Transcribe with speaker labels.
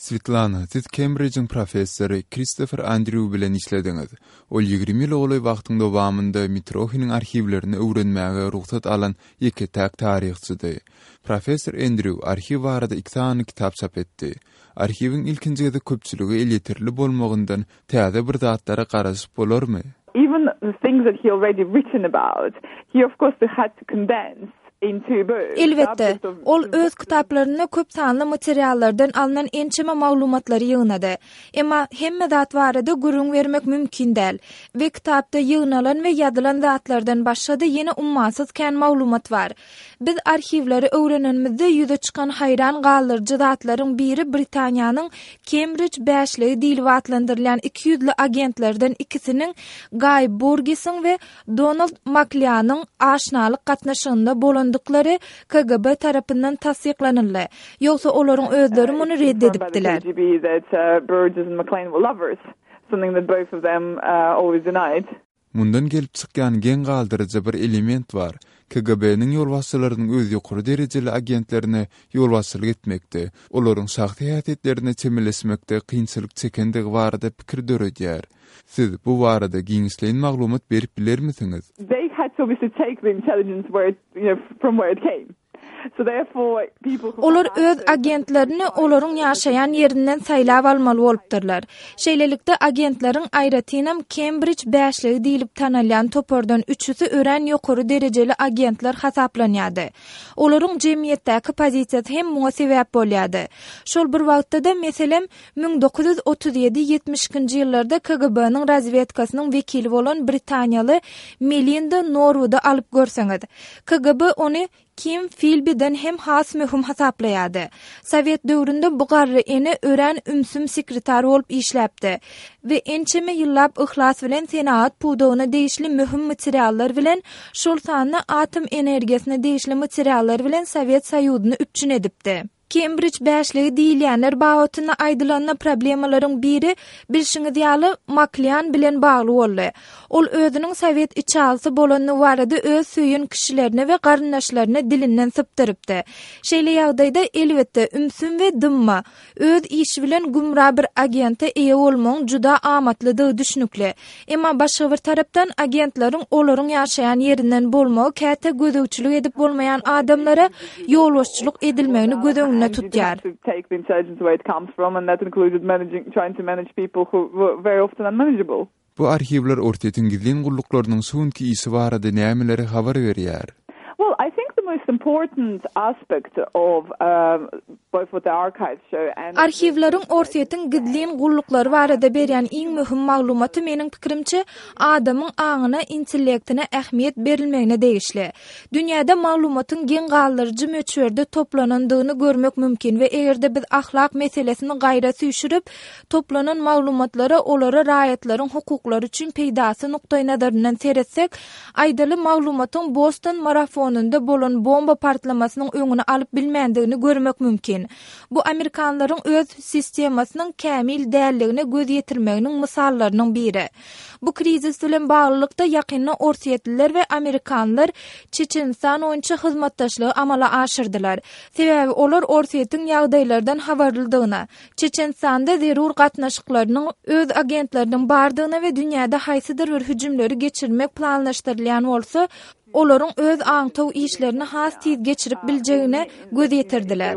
Speaker 1: Swetlana, siz Kembrijiň professory Kristofer Andrýu bilen işlediňiz. Ol 20 ýyla golaý wagtyň dowamynda Mitrohiniň arhiwlerini öwrenmäge rugsat alan ýeke-täk taryhçydy. Professor Endrýu arhiw barada iki sany kitap çap etdi. Arhiwiň ilkinji gezek köpçülige elýeterli bolmagyndan täze bir zatlara garaşyp bolarmy?
Speaker 2: Even the things that he already written about, he of course had to condense into books.
Speaker 3: Elbetde, ol öz kitaplarynda köp sanly materiallardan alnan ençeme maglumatlary ýygnady. Emma hemme zat barada gürrüň bermek mümkin däl we kitapda ýygnalan we ýazylan zatlardan başga-da ýene ummasyz kän maglumat bar. Biz arhiwleri öwrenenimizde ýüze çykan haýran galdyryjy zatlaryň biri Britaniýanyň Kembrij bäşligi diýlip atlandyrylýan ikiýüzli agentlerden ikisiniň Gaý Burgesiň we Donald Maklianyň aşnalyk gatnaşygynda bolandyklary KGB tarapyndan tassyklanyldy. Ýogsa olaryň özleri muny ret edipdiler.
Speaker 1: Mundan gelip çykýan geň galdyryjy bir element bar, KGB-niň ýolbaşçylarynyň öz ýokary derejeli agentlerine ýolbaşçylyk etmekde, olaryň şahsy häsiýetlerine çemeleşmekde kynçylyk çekendigi barada pikir döredýär. Siz bu barada giňişleýin maglumat berip bilermisiňiz?
Speaker 2: They had to obviously take the intelligence where it, you know, from where it came.
Speaker 3: Olar öz agentlerini olaryň ýaşaýan ýerinden saýlap almaly bolupdyrlar. Şeýlelikde, agentleriň, aýratynam, Kembrij bäşligi diýlip tanalýan topardan üçüsi örän ýokary derejeli agentler hasaplanýardy. Olaryň jemgyýetdäki pozisiýasy hem muňa sebäp bolýardy. Şol bir wagtda-da, meselem, 1937 72-nji ýyllarda KGB-niň razwedkasynyň wekili bolan britaniýaly Melinda Norwudy alyp görseňiz. KGB ony Kim Filbiden hem has möhüm hasaplaýardy. Sowet döwründe bu garry ene örän ümsüm sekretar bolup işläpdi we ençeme ýyllap yhlas bilen senagat pudagyna degişli möhüm materiallar bilen, şol sanda atom energiýasyna degişli materiallar bilen Sowet Soýuzyny üpjün edipdi. Kembrij bäşligi diýilýänler babatynda aýdylanda problemalaryň biri, bilşiňiz ýaly, Maklian bilen bagly boldy. Ol özüniň sowet içalysy bolandygy barada öz söýen kişilerine we garyndaşlaryna dilinden sypdyrypdy. Şeýle ýagdaýda, elbetde, ümsüm we dymma, Öz işi bilen gümra bir agente eýe bolmagyň juda amatlydygy düşnükli. Emma başga bir tarapdan, agentleriň olaryň ýaşaýan ýerinden bolmagy käte gözegçilik edip bolmaýan adamlara ýolbaşçylyk edilmegini göz öňünde tutýar.
Speaker 1: Bu arhiwler Orsýetiň gizlin gulluklarynyň şu günki işi barada nämeleri habar berýär?
Speaker 2: Well, I think the most important aspect of both what the archives show and
Speaker 3: Arhiwleriň Orsýetiň gizlin gulluklary barada berýän iň möhüm maglumaty meniň pikirimçe, adamyň aňyna, intellektine ähmiýet berilmegine degişli. Dünýäde maglumatyň geň galdyryjy möçberde toplanandygyny görmek mümkin we eger-de biz ahlak meselesini gaýra süýşürip, Toplanan maglumatlara olara raýatlaryň hukuklary üçin peýdasy nukdaýnazaryndan seretsek, aýdaly, maglumatyň Boston marafonynda bolan bomba partlamasynyň öňüni alyp bilmändigini görmek mümkin. Bu amerikanlaryň öz sistemasynyň kämil däldigine göz ýetirmeginiň mysallarynyň biri. Bu krizis bilen baglylykda ýakynda orsýetliler we amerikanlar Çeçenistan boýunça hyzmatdaşlygy amala aşyrdylar. Sebäbi olar Orsýetiň ýagdaýlardan habarlydygyna, Çeçenistanda zerur gatnaşyklarynyň, öz agentleriniň bardygyna we dünýäde haýsydyr bir hüjümleri geçirmek planlaşdyrylýan bolsa, olaryň öz aňtaw işlerini has tiz geçirip biljegine göz ýetirdiler.